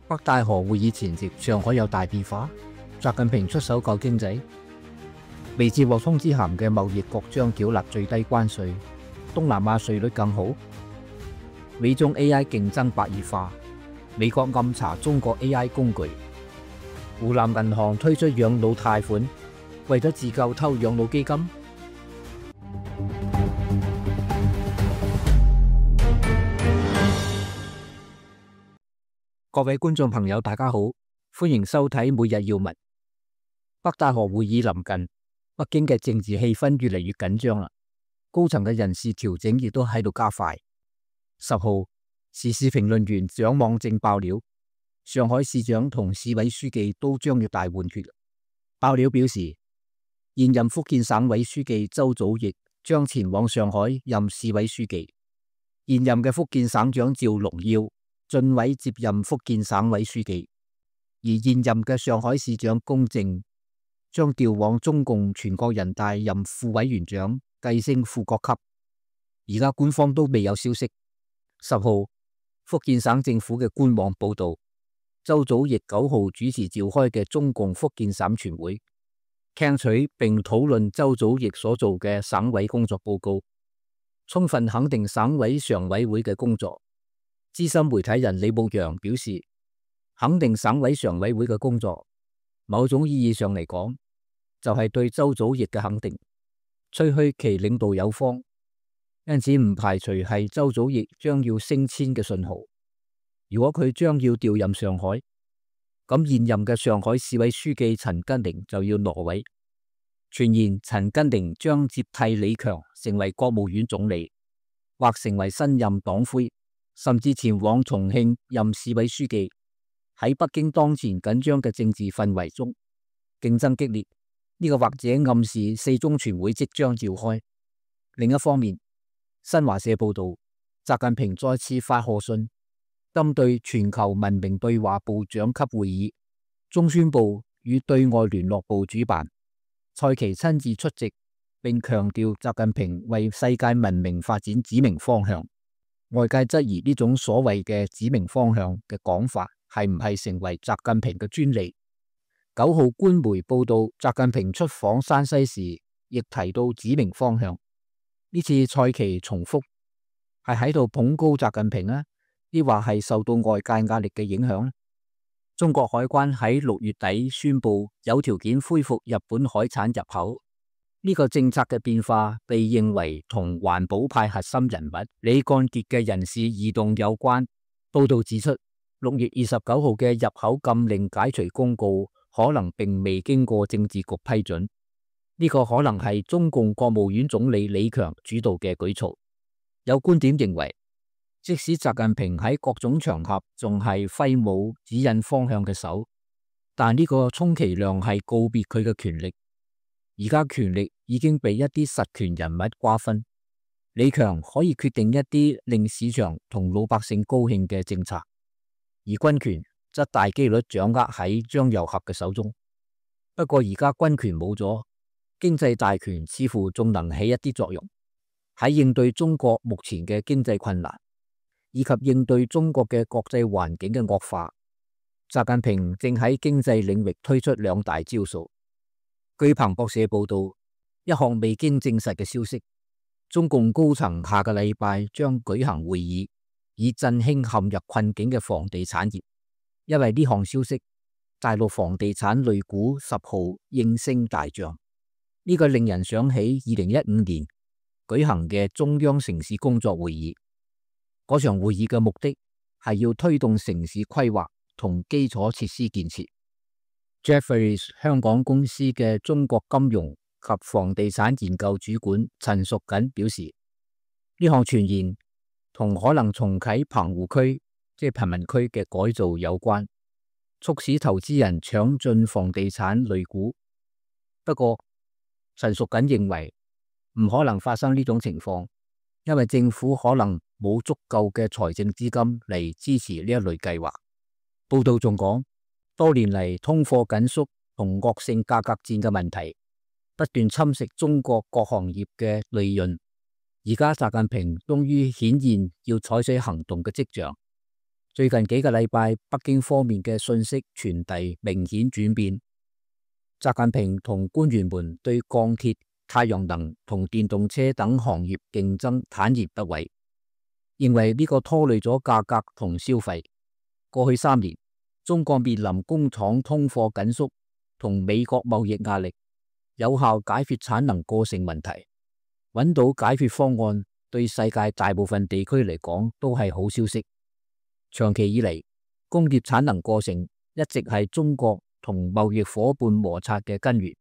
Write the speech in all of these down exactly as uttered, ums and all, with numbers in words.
北戴河會議前夕，上海有大變化。習近平出手救經濟。未接獲通知函嘅貿易國將繳納最低關稅，東南亞稅率更好。美中 A I 競爭白熱化，美國暗查中國 A I 工具。湖南銀行推出養老貸款，為咗自救偷養老基金。各位觀眾朋友，大家好，歡迎收睇每日要聞。北戴河會議臨近，北京嘅政治氣氛越嚟越緊張啦。高層嘅人事調整亦都喺度加快。十號，時事評論員蔣望正爆料，上海市長同市委書記都將要大換血。爆料表示，現任福建省委書記周祖逸將前往上海任市委書記，現任嘅福建省長趙龍耀晉委接任福建省委書記，而現任嘅上海市長龔正將調往中共全國人大任副委員長，繼升副國級。而家官方都未有消息。十號，福建省政府嘅官網報道，周祖逸九號主持召開嘅中共福建省全會，聽取並討論周祖逸所做嘅省委工作報告，充分肯定省委常委會嘅工作。資深媒體人李牧陽表示，肯定省委常委會嘅工作，某種意義上嚟講，就係對周祖逸嘅肯定，吹噓其領導有方，因此唔排除係周祖逸將要升遷嘅信號。如果佢將要調任上海，咁現任嘅上海市委書記陳吉寧就要挪位，傳言陳吉寧將接替李強成為國務院總理，或成為新任黨魁，甚至前往重慶任市委書記。喺北京當前緊張嘅政治氛圍中，競爭激烈，呢、這個或者暗示四中全會即將召開。另一方面，新華社報道，習近平再次發賀信，針對全球文明對話部長級會議，中宣部與對外聯絡部主辦，蔡奇親自出席，並強調習近平為世界文明發展指明方向。外界質疑呢種所謂嘅指明方向嘅講法係唔係成為習近平嘅專利。九號官媒報道，習近平出訪山西時亦提到指明方向。呢次蔡奇重複係喺度捧高習近平啊，抑或係受到外界壓力嘅影響？中國海關喺六月底宣布有條件恢復日本海產入口。呢個政策嘅變化被認為同環保派核心人物李幹傑嘅人事異動有關。報道指出，六月二十九號嘅入口禁令解除公告可能並未經過政治局批准。呢個可能係中共國務院總理李強主導嘅舉措。有觀點認為，即使習近平喺各種場合仲係揮舞指引方向嘅手，但呢個充其量係告別佢嘅權力。而家權力已經被一啲實權人物瓜分，李強可以決定一啲令市場同老百姓高興嘅政策，而軍權則大機率掌握喺張又俠嘅手中。不過而家軍權冇咗，經濟大權似乎仲能起一啲作用，喺應對中國目前嘅經濟困難，以及應對中國嘅國際環境嘅惡化。習近平正喺經濟領域推出兩大招數。據彭博社報道，一項未經證實嘅消息，中共高層下個禮拜將舉行會議，以振興陷入困境嘅房地產業。因為呢項消息，大陸房地產類股十號應聲大漲。呢、這個令人想起二零一五年舉行嘅中央城市工作會議。嗰場會議嘅目的係要推動城市規劃同基礎設施建設。Jefferies 香港公司嘅中國金融及房地產研究主管陳淑瑾表示，呢項傳言同可能重啟棚戶區，即係貧民區嘅改造有關，促使投資人搶進房地產類股。不過，陳淑瑾認為唔可能發生呢種情況，因為政府可能冇足夠嘅財政資金嚟支持呢一類計劃。報道仲講，多年嚟通貨緊縮同惡性價格戰嘅問題不斷侵蝕中國各行業嘅利潤。而家習近平終於顯現要採取行動嘅跡象。最近幾個禮拜，北京方面嘅信息傳遞明顯轉變。習近平同官員們對鋼鐵、太陽能同電動車等行業競爭坦然不諱，認為呢個拖累咗價格同消費。過去三年，中國面臨工廠通貨緊縮同美國貿易壓力，有效解決產能過剩問題，揾到解決方案，對世界大部分地區嚟講都係好消息。長期以嚟，工業產能過剩一直係中國同貿易夥伴摩擦嘅根源，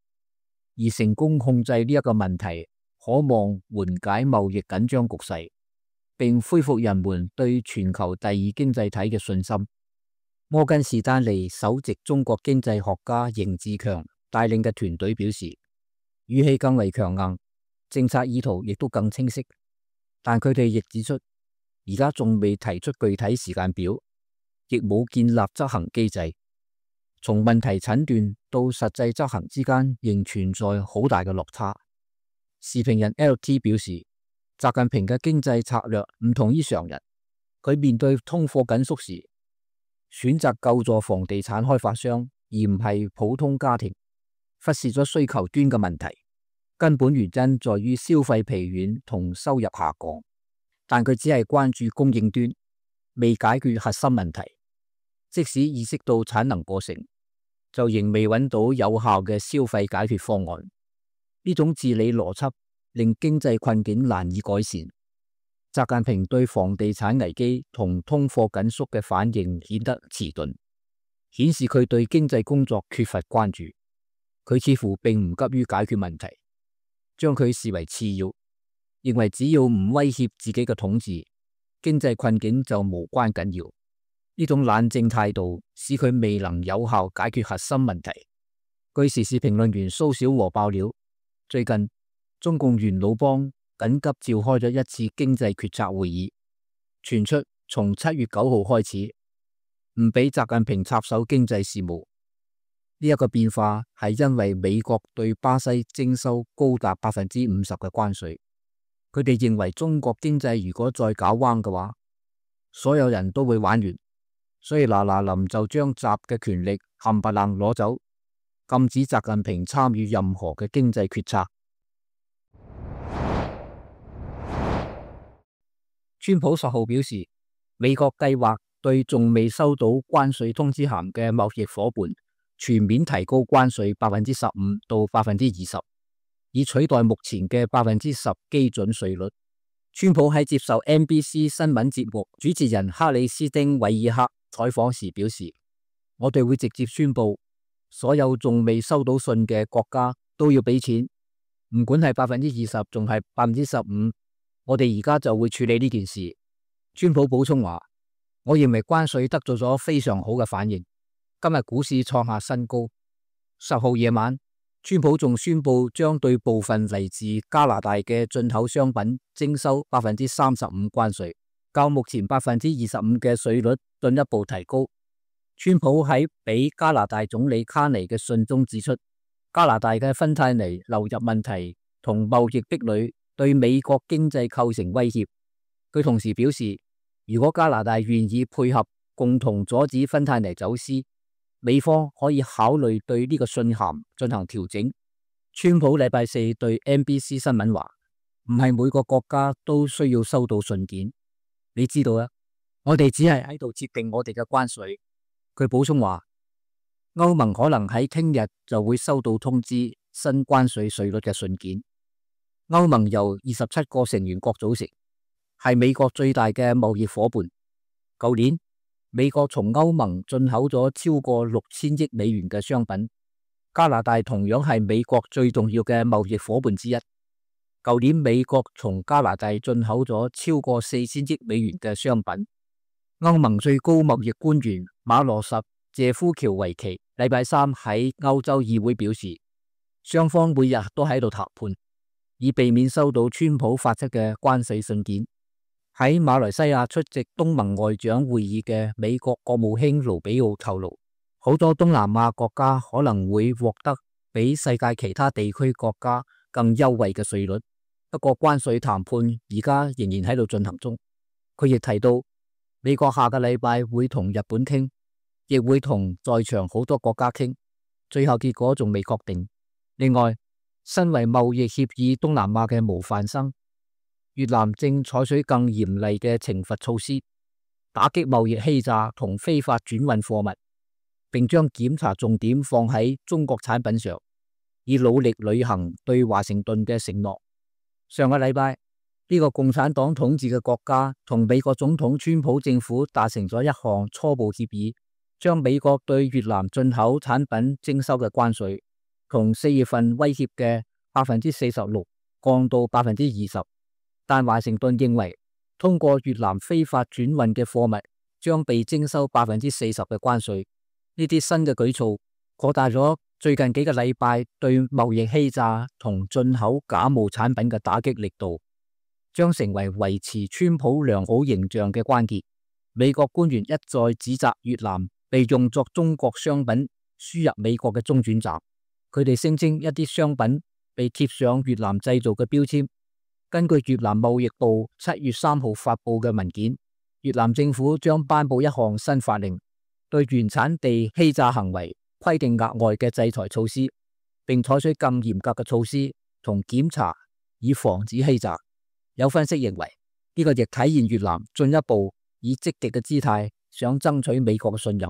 而成功控制呢一個問題，可望緩解貿易緊張局勢，並恢復人們對全球第二經濟體嘅信心。摩根士丹利首席中國經濟學家邢志強帶領嘅團隊表示，語氣更為強硬，政策意圖亦都更清晰，但佢哋亦指出，而家仲未提出具體時間表，亦冇建立執行機制。從問題診斷到實際執行之間，仍存在好大嘅落差。時評人 L T 表示，習近平嘅經濟策略唔同於常人，佢面對通貨緊縮時，選擇救助房地產開發商，而唔係普通家庭，忽視咗需求端嘅問題。根本原因在於消費疲軟同收入下降。但佢只係關注供應端，未解決核心問題。即使意識到產能過剩，就仍未揾到有效嘅消費解決方案。呢種治理邏輯令經濟困境難以改善。習近平對房地產危機同通貨緊縮嘅反應顯得遲鈍，顯示佢對經濟工作缺乏關注。佢似乎並唔急於解決問題，將佢視為次要。認為只要唔威脅自己嘅統治，經濟困境就無關緊要。呢種冷靜態度使佢未能有效解決核心問題。據時事評論員蘇小和爆料，最近中共元老幫緊急召開咗一次經濟決策會議，傳出從七月九號開始唔俾習近平插手經濟事務。呢、這、一個變化係因為美國對巴西徵收高達百分之五十嘅關稅。佢哋認為中國經濟如果再搞彎嘅話，所有人都會玩完，所以嗱嗱臨就將習嘅權力冚唪唥攞走，禁止習近平參與任何嘅經濟決策。川普十號表示，美國計劃對仲未收到關稅通知函嘅貿易夥伴全面提高關稅百分之十五到百分之二十。以取代目前嘅百分之十基準稅率。川普喺接受 N B C 新聞節目主持人克里斯汀韋爾克採訪時表示，我哋會直接宣布，所有仲未收到信嘅國家都要俾錢，唔管係百分之二十仲係百分之十五，我哋而家就會處理呢件事。川普補充話，我認為關稅得到咗非常好嘅反應，今日股市創下新高。十號夜晚，川普仲宣布將對部分嚟自加拿大嘅進口商品徵收百分之三十五關稅，較目前百分之二十五嘅稅率進一步提高。川普喺俾加拿大總理卡尼嘅信中指出，加拿大嘅芬太尼流入問題同貿易壁壘對美國經濟構成威脅。佢同時表示，如果加拿大願意配合，共同阻止芬太尼走私，美方可以考慮對呢個信函進行調整。川普禮拜四對 N B C 新聞話，唔係每個國家都需要收到信件，你知道啊，我哋只係喺度設定我哋嘅關稅。佢補充話，歐盟可能喺聽日就會收到通知新關稅稅率嘅信件。歐盟由二十七個成員國組成，係美國最大嘅貿易夥伴。舊年美國從歐盟進口咗超過六千億美元嘅商品，加拿大同樣係美國最重要嘅貿易夥伴之一。舊年美國從加拿大進口咗超過四千億美元嘅商品。歐盟最高貿易官員馬羅什謝夫喬維奇禮拜三喺歐洲議會表示，雙方每日都喺度談判，以避免收到川普發出嘅關稅信件。喺馬來西亞出席東盟外長會議嘅美國國務卿盧比奧透露，好多東南亞國家可能會獲得比世界其他地區國家更優惠嘅稅率。不過關稅談判而家仍然喺度進行中。佢亦提到，美國下個禮拜會同日本傾，亦會同在場好多國家傾，最後結果仲未確定。另外，身為貿易協議東南亞嘅模範生，越南正採取更嚴厲嘅懲罰措施，打擊貿易欺詐同非法轉運貨物，並將檢查重點放喺中國產品上，以努力履行對華盛頓嘅承諾。上個禮拜，呢個共產黨統治嘅國家同美國總統川普政府達成咗一項初步協議，將美國對越南進口產品徵收嘅關稅，從四月份威脅嘅百分之四十六降到百分之二十。但華盛頓認為，通過越南非法轉運嘅貨物將被徵收百分之四十嘅關稅。呢啲新嘅舉措擴大咗最近幾個禮拜對貿易欺詐同進口假冒產品嘅打擊力度，將成為維持川普良好形象嘅關鍵。美國官員一再指責越南被用作中國商品輸入美國嘅中轉站，佢哋聲稱一啲商品被貼上越南製造嘅標籤。根據越南貿易部七月三號發布嘅文件，越南政府將頒布一項新法令，對原產地欺詐行為規定額外嘅制裁措施，並採取更嚴格嘅措施同檢查，以防止欺詐。有分析認為，呢個亦體現越南進一步以積極嘅姿態想爭取美國嘅信任。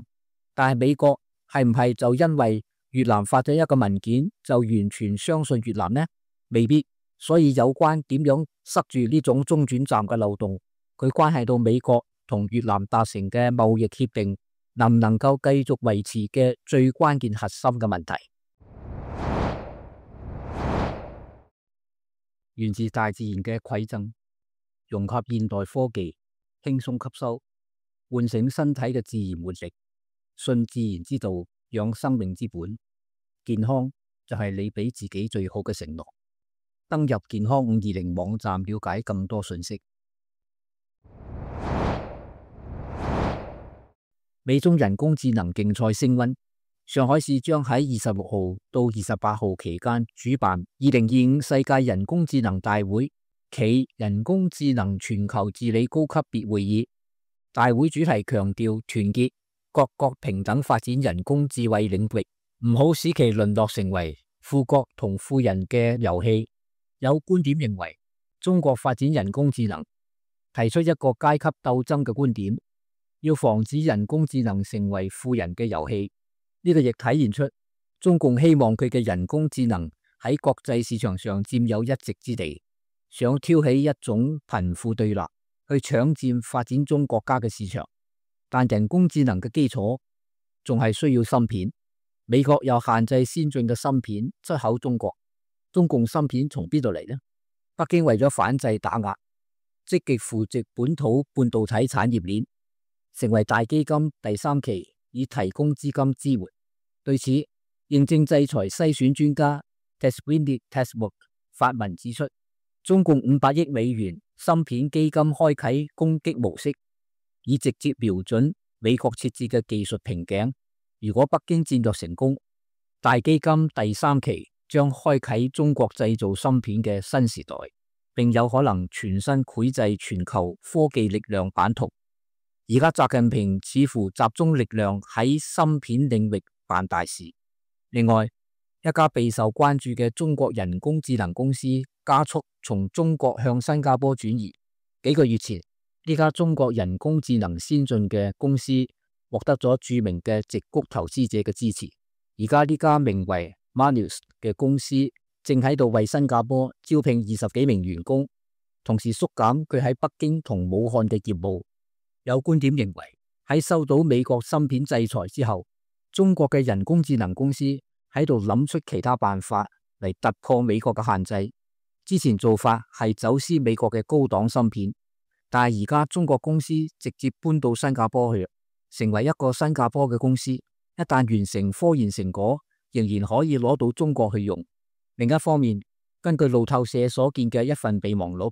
但係美國係唔係就因為越南發咗一個文件就完全相信越南呢？未必。所以有關點樣塞住呢種中轉站嘅漏洞，佢關係到美國同越南達成嘅貿易協定能唔能夠繼續維持嘅最關鍵核心嘅問題。源自大自然嘅饋贈，融合現代科技，輕鬆吸收，喚醒身體嘅自然活力，信自然之道，養生命之本。健康就係你俾自己最好嘅承諾。登入健康五二零網站了解更多信息。美中人工智能競賽升溫，上海市將喺二十六號到二十八號期間主辦二零二五世界人工智能大會暨人工智能全球治理高級別會議。大會主題強調團結各國平等發展人工智慧領域，唔好使其淪落成為富國同富人嘅遊戲。有觀點認為，中國發展人工智能提出一個階級鬥爭嘅觀點，要防止人工智能成為富人嘅遊戲。呢個亦體現出中共希望佢嘅人工智能喺國際市場上佔有一席之地，想挑起一種貧富對立，去搶佔發展中國家嘅市場。但人工智能嘅基礎仲係需要芯片，美國又限制先進嘅芯片出口中國。中共芯片從邊度嚟呢？北京為咗反制打壓，積極扶植本土半導體產業鏈，成為大基金第三期以提供資金支援。對此，認證制裁篩選專家 Tesvini Tesmuk 發文指出，中共五百億美元芯片基金開啟攻擊模式，以直接瞄準美國設置嘅技術瓶頸。如果北京戰略成功，大基金第三期將開啟中國製造芯片嘅新時代，並有可能全新繪製全球科技力量版圖。而家習近平似乎集中力量喺芯片領域辦大事。另外，一家備受關注嘅中國人工智能公司加速從中國向新加坡轉移。幾個月前，呢家中國人工智能先進嘅公司獲得咗著名嘅矽谷投資者嘅支持。而家呢家名為Manus 嘅公司正喺度為新加坡招聘二十幾名員工，同時縮減佢喺北京同武漢嘅業務。有觀點認為，喺收到美國芯片制裁之後，中國嘅人工智能公司喺度諗出其他辦法嚟突破美國嘅限制。之前做法係走私美國嘅高檔芯片，但係而家中國公司直接搬到新加坡去，成為一個新加坡嘅公司。一旦完成科研成果，仍然可以攞到中國去用。另一方面，根據路透社所見嘅一份備忘錄，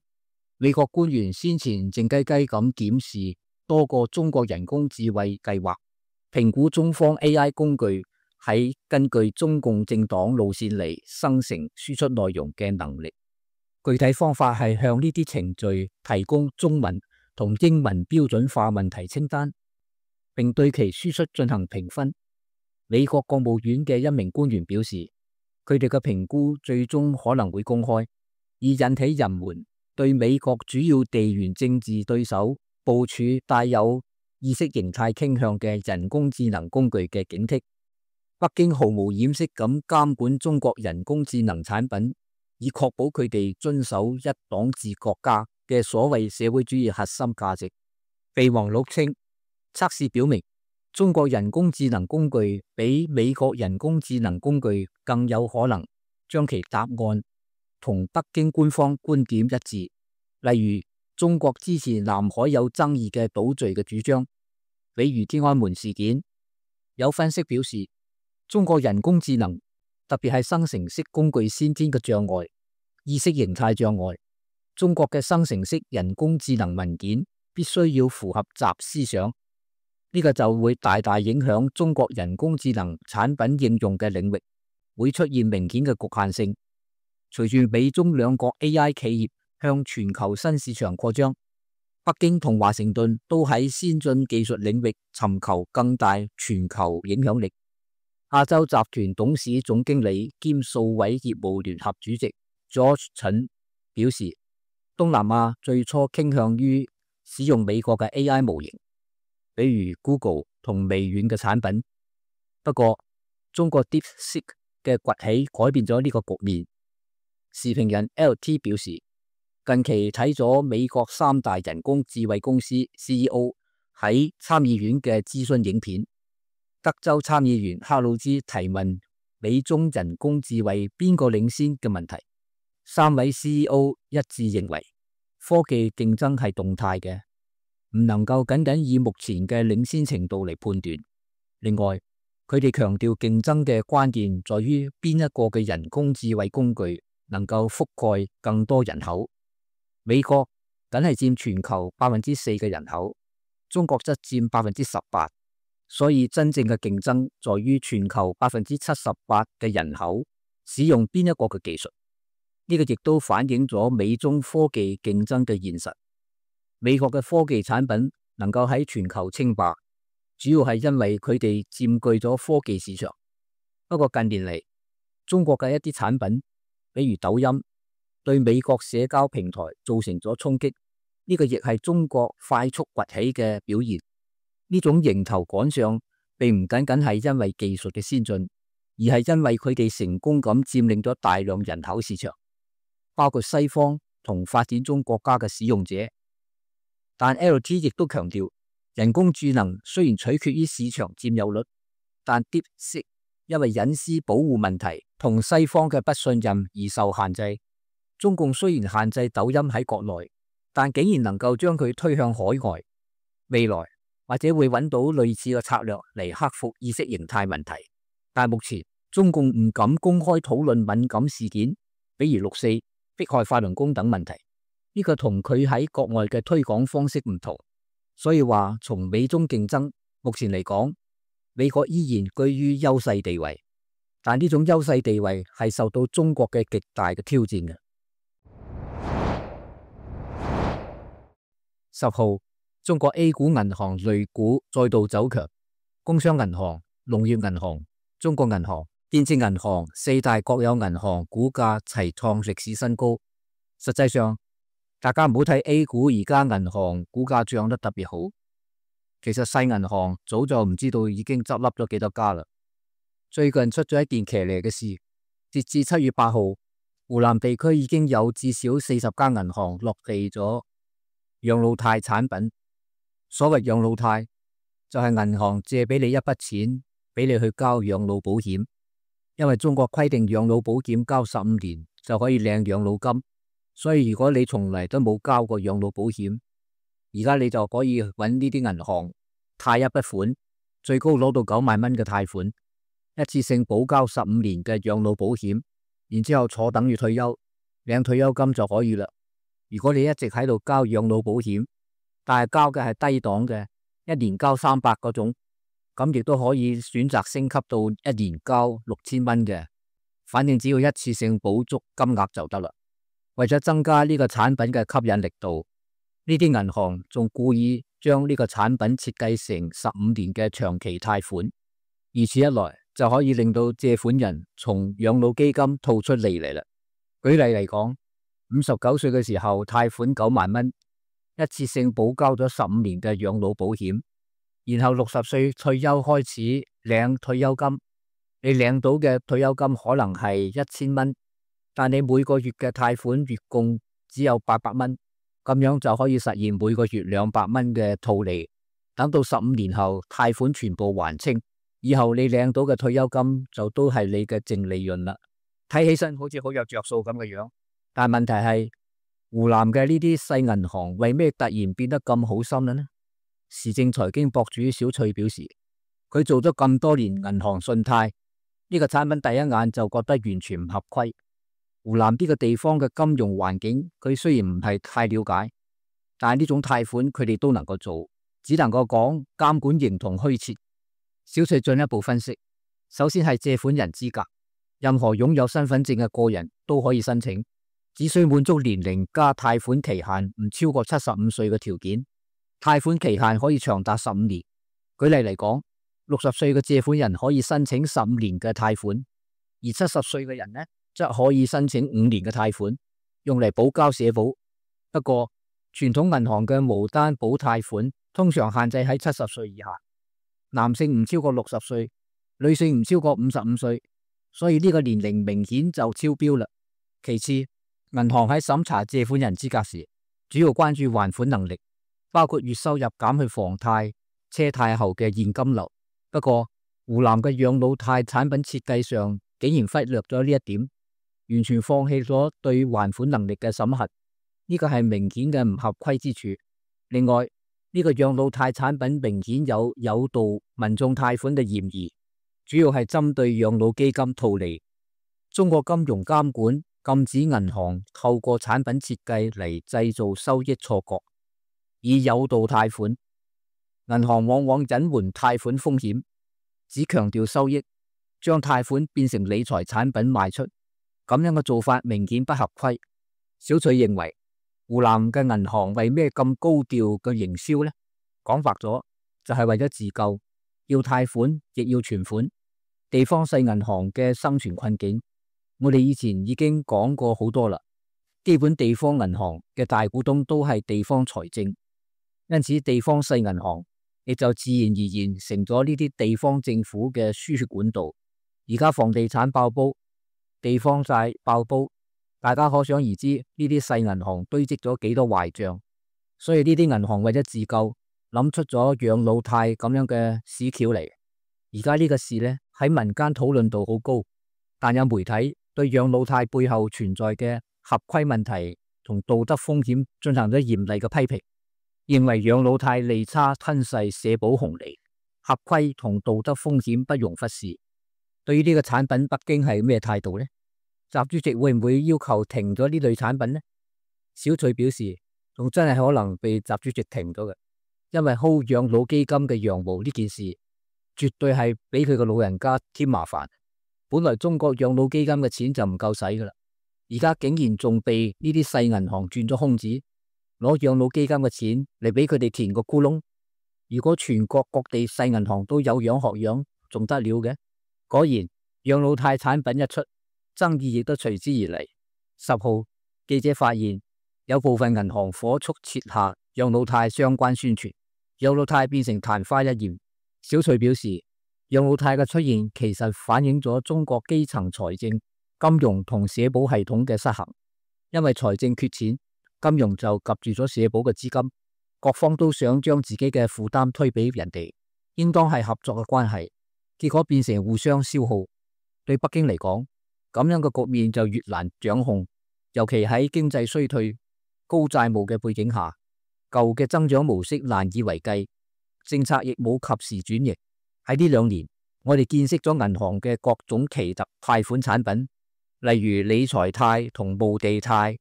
美國官員先前靜雞雞咁檢視多個中國人工智慧計劃，評估中方 A I 工具喺根據中共政黨路線嚟生成輸出內容嘅能力。具體方法係向呢啲程序提供中文同英文標準化問題清單，並對其輸出進行評分。美國國務院嘅一名官員表示，佢哋嘅評估最終可能會公開，以引起人們對美國主要地緣政治對手部署帶有意識形態傾向嘅人工智能工具嘅警惕。北京毫無掩飾咁監管中國人工智能產品，以確保佢哋遵守一黨治國家嘅所謂社會主義核心價值。備忘錄稱，測試表明中國人工智能工具比美國人工智能工具更有可能將其答案同北京官方觀點一致。例如，中國支持南海有爭議嘅島嶼嘅主張，比如天安門事件。有分析表示，中國人工智能特別係生成式工具先天嘅障礙，意識形態障礙。中國嘅生成式人工智能文件必須要符合習思想，呢個就會大大影響中國人工智能產品應用嘅領域，會出現明顯嘅局限性。隨住美中兩國 A I 企業向全球新市場擴張，北京同華盛頓都喺先進技術領域尋求更大全球影響力。亞洲集團董事總經理兼數位業務聯合主席 George 陳表示，東南亞最初傾向於使用美國嘅 A I 模型，比如 Google 同微軟嘅產品。不過，中國 DeepSeek 嘅崛起改變咗呢個局面。時評人 L T 表示，近期睇咗美國三大人工智慧公司 C E O 喺參議院嘅諮詢影片。德州參議員克魯茲提問美中人工智慧邊個領先嘅問題，三位 C E O 一致認為科技競爭係動態嘅，唔能夠僅僅以目前嘅領先程度嚟判斷。另外，佢哋強調競爭嘅關鍵在於邊一個嘅人工智慧工具能夠覆蓋更多人口。美國僅係佔全球百分之四嘅人口，中國則佔百分之十八。所以真正嘅競爭在於全球百分之七十八嘅人口使用邊一個嘅技術。呢個亦都反映咗美中科技競爭嘅現實。美國嘅科技產品能夠喺全球稱霸，主要係因為佢哋佔據咗科技市場。不過近年嚟，中國嘅一啲產品，比如抖音，對美國社交平台造成咗衝擊。呢個亦係中國快速崛起嘅表現。呢種迎頭趕上，並唔僅僅係因為技術嘅先進，而係因為佢哋成功咁佔領咗大量人口市場，包括西方同發展中國家嘅使用者。但 L T 亦都強調，人工智能雖然取決於市場佔有率，但 DeepSeek 因為隱私保護問題同西方嘅不信任而受限制。中共雖然限制抖音喺國內，但竟然能夠將佢推向海外。未來或者會揾到類似嘅策略嚟克服意識形態問題，但目前中共唔敢公開討論敏感事件，比如六四、迫害法輪功等問題。呢個同佢喺國外嘅推廣方式唔同，所以話從美中競爭，目前嚟講，美國依然居於優勢地位，但呢種優勢地位係受到中國嘅極大嘅挑戰嘅。十號。中國 A 股銀行類股再度走強，工商銀行、農業銀行、中國銀行、建設銀行四大國有銀行股價齊創歷史新高。實際上，大家唔好睇 A 股而家銀行股價漲得特別好，其實細銀行早就唔知道已經執笠咗幾多家啦。最近出咗一件騎呢嘅事，截至七月八號，湖南地區已經有至少四十家銀行落地咗養老貸產品。所謂養老貸就係銀行借俾你一筆錢，俾你去交養老保險。因為中國規定養老保險交十五年就可以領養老金，所以如果你從嚟都冇交過養老保險，而家你就可以揾呢啲銀行貸一筆款，最高攞到九萬蚊嘅貸款，一次性補交十五年嘅養老保險，然之後坐等於退休，領退休金就可以啦。如果你一直喺度交養老保險，但係交嘅係低檔嘅，一年交三百嗰種，咁亦都可以選擇升級到一年交六千蚊嘅，反正只要一次性補足金額就得啦。為咗增加呢個產品嘅吸引力度，呢啲銀行仲故意將呢個產品設計成十五年嘅長期貸款，如此一來就可以令到借款人從養老基金套出利嚟啦。舉例嚟講，五十九歲嘅時候貸款九萬蚊，一次性補交咗十五年嘅養老保險，然後六十歲退休開始領退休金，你領到嘅退休金可能係一千蚊，但你每個月嘅貸款月供只有八百蚊，咁樣就可以實現每個月兩百蚊嘅套利。等到十五年後貸款全部還清，以後你領到嘅退休金就都係你嘅淨利潤啦。睇起身好似好有着數咁嘅樣，但問題係湖南嘅呢啲細銀行為咩突然變得咁好心啦呢？時政財經博主小翠表示，佢做咗咁多年銀行信貸，呢個產品第一眼就覺得完全唔合規。湖南呢個地方嘅金融環境，佢雖然唔係太了解，但係呢種貸款佢哋都能夠做，只能夠講監管形同虛設。小翠進一步分析，首先係借款人資格，任何擁有身份證嘅個人都可以申請，只需滿足年齡加貸款期限唔超過七十五歲嘅條件，貸款期限可以長達十五年。舉例嚟講，六十歲嘅借款人可以申請十五年嘅貸款，而七十歲嘅人呢，則可以申請五年嘅貸款，用嚟補交社保。不過，傳統銀行嘅無擔保貸款通常限制喺七十歲以下，男性唔超過六十歲，女性唔超過五十五歲，所以呢個年齡明顯就超標啦。其次，銀行喺審查借款人資格時，主要關注還款能力，包括月收入減去房貸、車貸後嘅現金流。不過，湖南嘅養老貸產品設計上竟然忽略咗呢一點，完全放棄咗對還款能力嘅審核，呢個係明顯嘅唔合規之處。另外，呢個養老貸產品明顯有誘導民眾貸款嘅嫌疑，主要係針對養老基金套利。中國金融監管禁止銀行透過產品設計嚟製造收益錯覺，以誘導貸款。銀行往往隱瞞貸款風險，只強調收益，將貸款變成理財產品賣出，咁樣嘅做法明顯不合規。小翠認為，湖南嘅銀行為咩咁高調嘅營銷呢？講白咗就係為咗自救，要貸款亦要存款。地方細銀行嘅生存困境，我哋以前已經講過好多啦。基本地方銀行嘅大股東都係地方財政，因此地方細銀行亦就自然而然成咗呢啲地方政府嘅輸血管道。而家房地產爆煲，地方債爆煲，大家可想而知呢啲細銀行堆積咗幾多壞賬。所以呢啲銀行為咗自救，諗出咗養老貸咁樣嘅屎橋嚟。而家呢個事呢，喺民間討論度好高，但有媒體對養老貸背後存在嘅合規問題同道德風險進行咗嚴厲嘅批評，認為養老貸利差吞噬社保紅利，合規同道德風險不容忽視。對於呢個產品，北京係咩態度呢？習主席會唔會要求停咗呢類產品呢？小翠表示，仲真係可能被習主席停咗嘅，因為薅養老基金嘅羊毛呢件事，絕對係俾佢個老人家添麻煩。本來中國養老基金嘅錢就唔夠使噶啦，而家竟然仲被呢啲細銀行轉咗空子，攞養老基金嘅錢嚟俾佢哋填個窟窿。如果全國各地細銀行都有樣學樣，仲得了嘅？果然，養老貸產品一出，爭議亦都隨之而嚟。十號，記者發現有部分銀行火速撤下養老貸相關宣傳，養老貸變成曇花一現。小翠表示，養老貸嘅出現其實反映咗中國基層財政、金融同社保系統嘅失衡。因為財政缺錢，金融就夾住咗社保嘅資金，各方都想將自己嘅負擔推俾人哋，應當係合作嘅關係。結果變成互相消耗，對北京嚟講，咁樣嘅局面就越難掌控。尤其喺經濟衰退、高債務嘅背景下，舊嘅增長模式難以為繼，政策亦冇及時轉型。喺呢兩年，我哋見識咗銀行嘅各種奇特貸款產品，例如理財貸同墓地貸。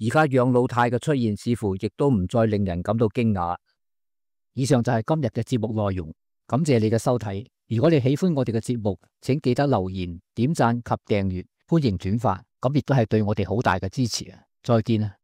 而家養老貸嘅出現，似乎亦都唔再令人感到驚訝。以上就係今日嘅節目內容，感謝你嘅收睇。如果你喜歡我哋嘅節目，請記得留言、點讚及訂閱，歡迎轉發，咁亦都係對我哋好大嘅支持啊！再見啊！